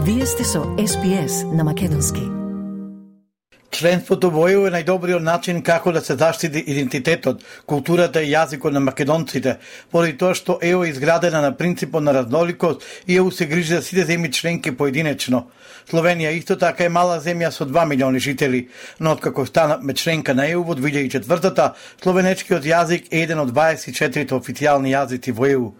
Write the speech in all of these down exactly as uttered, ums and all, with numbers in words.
Вие сте со Ес Би Ес на македонски. Членството во Е У е најдобриот начин како да се заштити идентитетот, културата и јазикот на македонците, поради тоа што Е У е изградена на принципот на разноликост и Е У се грижи за сите земји членки поединечно. Словенија исто така е мала земја со два милиони жители, но откако стана членка на Е У во две илјади и четвртата, словенечкиот јазик е еден од дваесет и четири официјални јазици во Е У.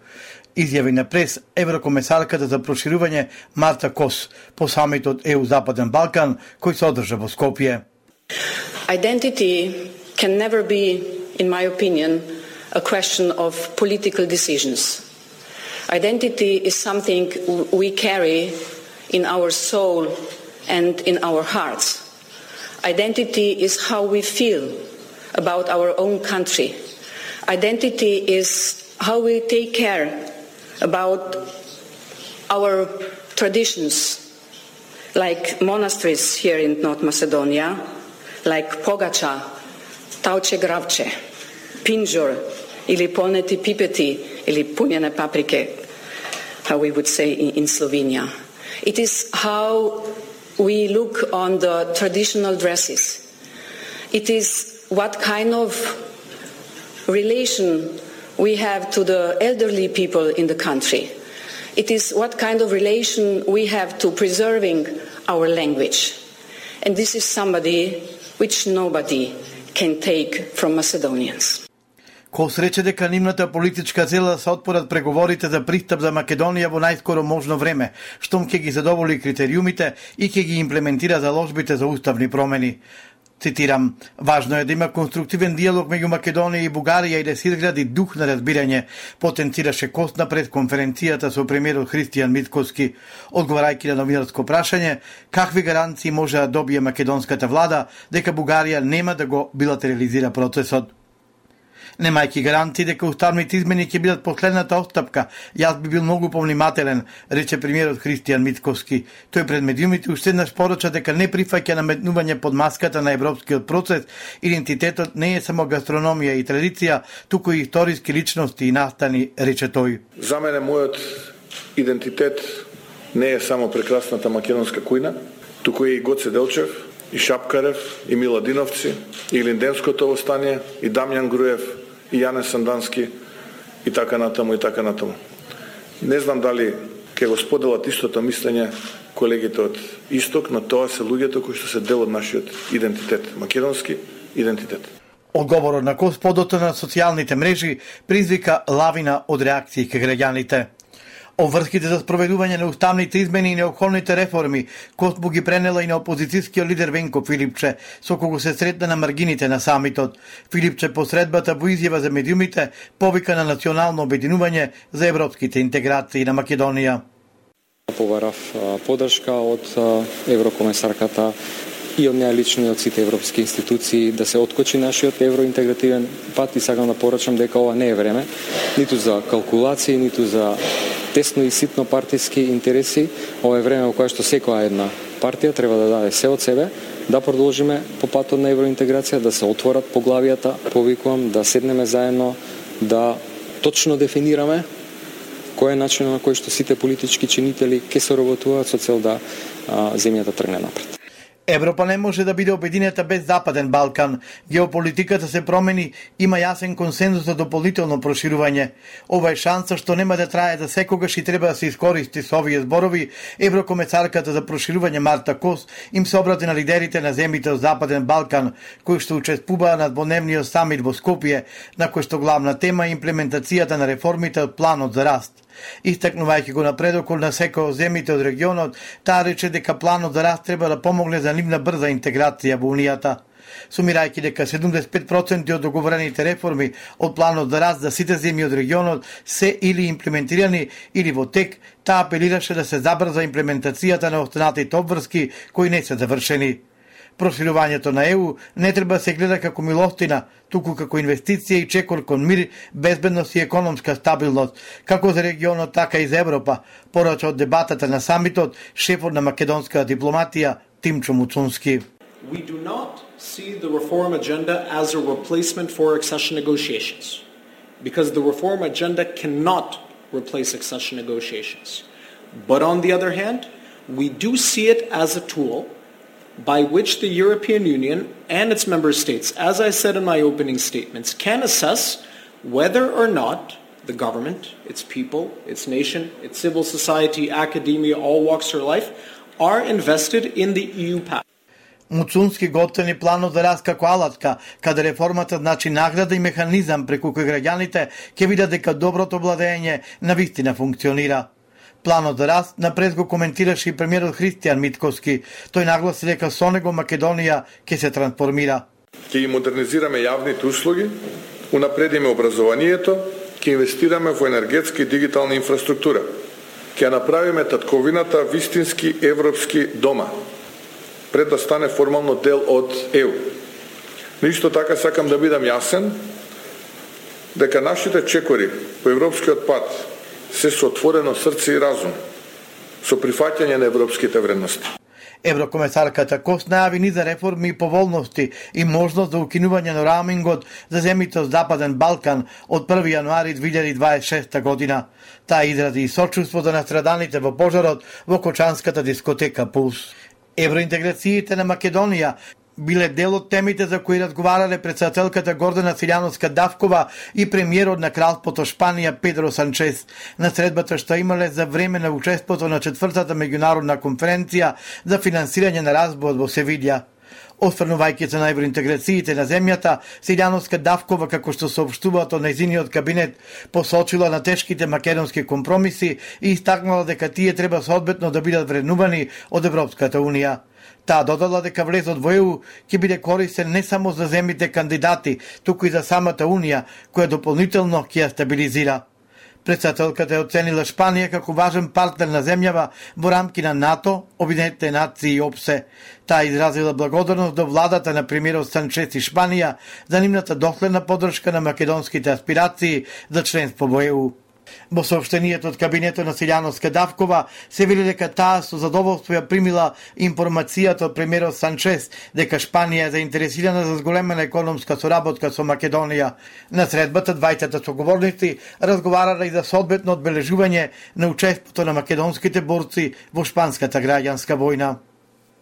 Изјави на прес еврокомесарката за проширување Марта Кос по самитот Е У Западен Балкан кој се одржа во Скопје. Identity can never be, in my opinion, a question of political decisions. Identity is something we carry in our soul and in our hearts. Identity is how we feel about our own country. Identity is how we take care about our traditions, like monasteries here in North Macedonia, like Pogača, Tauče Gravče, Pinjor, ili polneti pipeti, ili punjene paprike, how we would say in, in Slovenia. It is how we look on the traditional dresses. It is what kind of relation we have to the elderly people in the country. It is what kind of relation we have to preserving our language. And this is somebody which nobody can take from Macedonians. Кос рече дека нивната политичка цел се отпорат преговорите за пристап за Македонија во најскоро можно време, штом ќе ги задоволи критериумите и ќе ги имплементира заложбите за уставни промени. Цитирам, важно е да има конструктивен диалог меѓу Македонија и Бугарија и да се изгради дух на разбирање, потенцираше Кос на пресконференцијата со премиерот Христијан Мицкоски, одговарајќи на новинарско прашање, какви гаранции може да добие македонската влада дека Бугарија нема да го билатерализира процесот. Немајќи гаранции дека уставните измени ќе бидат последната отстапка, јас би бил многу повнимателен, рече премиерот Христијан Мицкоски. Тој пред медиумите уште еднаш порача дека не прифаќа наметнување под маската на европскиот процес. Идентитетот не е само гастрономија и традиција, туку и историски личности и настани, рече тој. За мене мојот идентитет не е само прекрасната македонска кујна, туку и Гоце Делчев, и Шапкарев, и Миладиновци, и Линденското востание, и Дамјан Груев, и Јане Сандански, и така натаму, и така натаму. Не знам дали ќе го споделат истото мислење колегите од Исток, но тоа се луѓето кои што се дел од нашиот идентитет, македонски идентитет. Одговорот на Кос подоцна на социјалните мрежи призвика лавина од реакции кај граѓаните. Обврските за спроведување на уставните измени и неопходните реформи Кос му ги пренела и на опозицијскиот лидер Венко Филипче, со кого се сретна на маргините на самитот. Филипче по средбата во изјава за медиумите повика на национално обединување за европските интеграции на Македонија. Побарав подршка од еврокомесарката и од неа лично и од сите европски институции да се откочи нашиот евроинтегративен пат и сакам да порачам дека ова не е време ниту за калкулации, ниту за тесно и ситно партиски интереси. Ова е време во кое што секоја една партија треба да даде се од себе, да продолжиме по патот на евроинтеграција, да се отворат поглавијата, повикувам да седнеме заедно, да точно дефинираме кој е начинот на кој што сите политички чинители ќе се работуваат со цел да а, земјата тргне напред. Европа не може да биде обединета без Западен Балкан. Геополитиката се промени, има јасен консензус за дополнително проширување. Ова е шанса што нема да трае за секогаш и треба да се искористи со овие зборови. Еврокомесарката за проширување Марта Кос им се обрати на лидерите на земјите од Западен Балкан, кои што учествуваа на дводневниот самит во Скопје, на кој што главна тема е имплементацијата на реформите од планот за раст. Истакнувајќи го напредокот на секој од земјите од регионот, таа рече дека планот за раст треба да помогне за нивна брза интеграција во Унијата. Сумирајќи дека седумдесет и пет проценти од договорените реформи од планот за раст за сите земји од регионот се или имплементирани или во тек, таа апелираше да се забрза имплементацијата на останатите обврски кои не се завршени. Проширувањето на Е У не треба да се гледа како милостина, туку како инвестиција и чекор кон мир, безбедност и економска стабилност, како за регионот, така и за Европа, порача од дебатата на самитот шефот на македонската дипломатија Тимчо Муцунски. We do not see the reform agenda as a replacement for accession negotiations, because the reform agenda cannot replace accession negotiations. But on the other hand, we do see it as a tool by which the European Union and its member states, as I said in my opening statements, can assess whether or not the government, its people, its nation, its civil society, academia, all walks of life, are invested in the E U path. Муцунски готвени планот за раст како алатка, каде реформата значи награда и механизам преку кој граѓаните ќе видат дека доброто владење навистина функционира. Планот за раст напред го коментираше и премиерот Христијан Митковски. Тој нагласи дека со него Македонија ќе се трансформира. Ќе ги модернизираме јавните услуги, унапредиме образованието, ќе инвестираме во енергетска и дигитална инфраструктура. Ќе направиме татковината вистински европски дома, пред да стане формално дел од Е У. Но исто така сакам да бидам јасен дека нашите чекори по европскиот пат се со отворено срце и разум, со прифаќање на европските вредности. Еврокомесарката Кос најави низа реформи и поволности и можност за укинување на роумингот за земјите од Западен Балкан од први јануари две илјади дваесет и шеста година. Таа изрази и сочувство за настраданите во пожарот во кочанската дискотека Пулс. Евроинтеграциите на Македонија биле дел од темите за кои разговарале председателката Гордана Силјановска-Давкова и премиерот на Кралството Шпанија Педро Санчес на средбата што имале за време на учеството на четвртата меѓународна конференција за финансирање на разбојот во Севилја. Осврнувајќи се на евроинтеграциите на земјата, Силјановска-Давкова, како што соопштуваат од нејзиниот кабинет, посочила на тешките македонски компромиси и истакнала дека тие треба соодветно да бидат вреднувани од Европската Унија. Таа додала дека влезот во Е У ќе биде корисен не само за земјите кандидати, туку и за самата Унија, која дополнително ќе ја стабилизира. Председателката е оценила Шпанија како важен партнер на земјава во рамки на НАТО, Обединетите нации и ОПСЕ. Таа изразила благодарност до владата на премиерот Санчес и Шпанија за нивната доследна поддршка на македонските аспирации за членство во Е У. Во сообштенијето од кабинетот на Силјановска-Давкова се вели дека таа со задоволство ја примила информацијата од премиерот Санчес дека Шпанија е заинтересирана за зголемена економска соработка со Македонија. На средбата двајцата соговорници разговарале и за соодветно одбележување на учеството на македонските борци во шпанската граѓанска војна.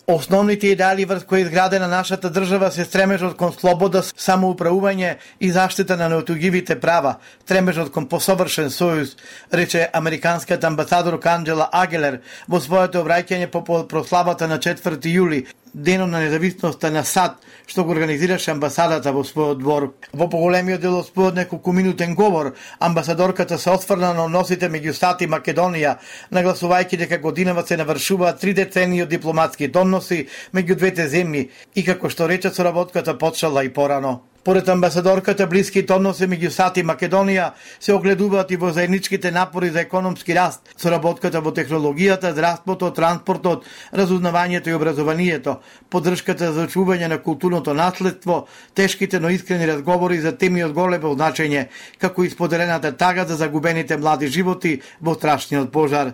Основните идеали врз кои изградена нашата држава се стремежот кон слобода, самоуправување и заштита на неотугивите права, стремежот кон посовршен сојуз, рече американскиот амбасадор Анџела Агелер во своето обраќање по прославата на четврти јули, денот на независноста на САД, што го организираше амбасадата во својот двор. Во поголемиот дел од својот неколкуминутен говор, амбасадорката се осврна на односите меѓу САД и Македонија, нагласувајќи дека годинава се навршуваат три децении од дипломатски односи меѓу двете земји и како што рече соработката почнала и порано. Поред амбасадорката, блиските односи меѓу САД и Македонија се огледуваат и во заедничките напори за економски раст, соработката во технологијата, здравството, транспортот, разузнавањето и образованието, поддршката за очување на културното наследство, тешките но искрени разговори за теми од големо значење, како и споделената тага за загубените млади животи во страшниот пожар.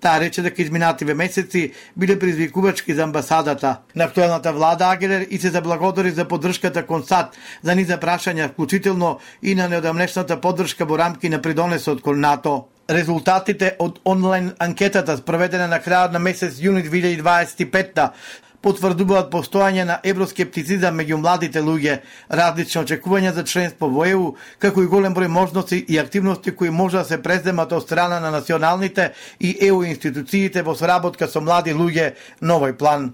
Таа рече дека изминативе месеци биле предизвикувачки за амбасадата. На актуелната влада Агелер и се заблагодари за поддршката кон САД за низа прашања, вклучително и на неодамнешната поддршка во рамки на придонесот кон НАТО. Резултатите од онлайн анкетата спроведена на крајот на месец јуни две илјади дваесет и петта потврдуваат постојање на евроскептицизам меѓу младите луѓе, различни очекувања за членство во Е У, како и голем број можности и активности кои може да се преземат од страна на националните и Е У институциите во соработка со млади луѓе на овој план.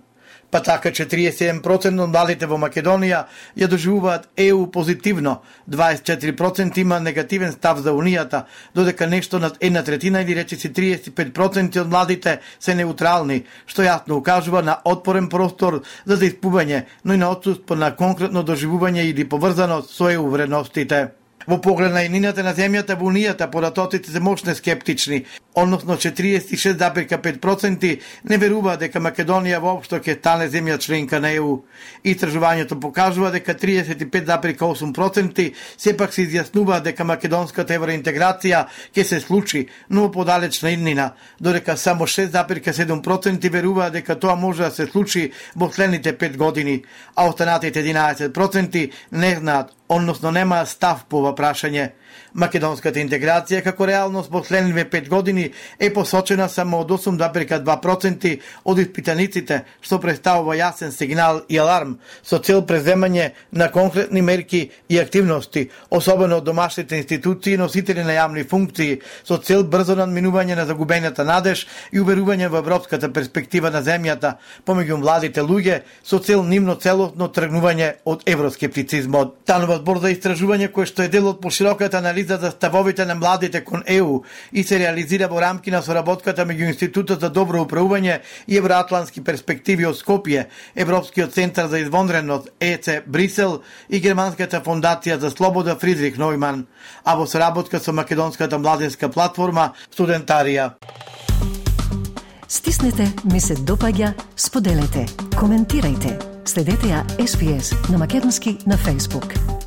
Па така четириесет и седум проценти од младите во Македонија ја доживуваат Е У позитивно, дваесет и четири проценти има негативен став за Унијата, додека нешто над една третина или речиси триесет и пет проценти од младите се неутрални, што јасно укажува на отпорен простор за заиспување, но и на отсуство на конкретно доживување или поврзаност со Е У вредностите. Во поглед на еднината на земјата во Унијата, поратоците се мощно скептични, односно четириесет и шест зарез и пет проценти не веруваат дека Македонија воопшто ќе стане земја членка на Е У. Истражувањето покажува дека триесет и пет зарез и осум проценти сепак се изјаснуваат дека македонската евроинтеграција ќе се случи, но во подалечна иднина, додека само шест зарез и седум проценти веруваат дека тоа може да се случи во следните пет години, а останатите единаесет проценти не знаат односно нема став по ова прашање. Македонската интеграција како реалност последниве пет години е посочена само од осум запирка два проценти од испитаниците, што представува јасен сигнал и аларм со цел преземање на конкретни мерки и активности, особено од домашните институции и носители на јавни функции, со цел брзо надминување на загубената надеж и уверување во европската перспектива на земјата помеѓу младите луѓе, со цел нивно целосно тргнување од евроскептицизмот. Станува збор за истражување кој што е дел од пошироката анализа за ставовите на младите кон Е У и се реализира во рамки на соработката меѓу Институтот за добро управување и евроатлантски перспективи од Скопје, Европскиот центар за извонредност Е Це Брисел и Германската фондација за слобода Фридрих Нојман, а во соработка со Македонската младинска платформа Студентарија. Стиснете, ми се допаѓа, споделете, коментирајте. Следете ја Ес Би Ес на македонски на Facebook.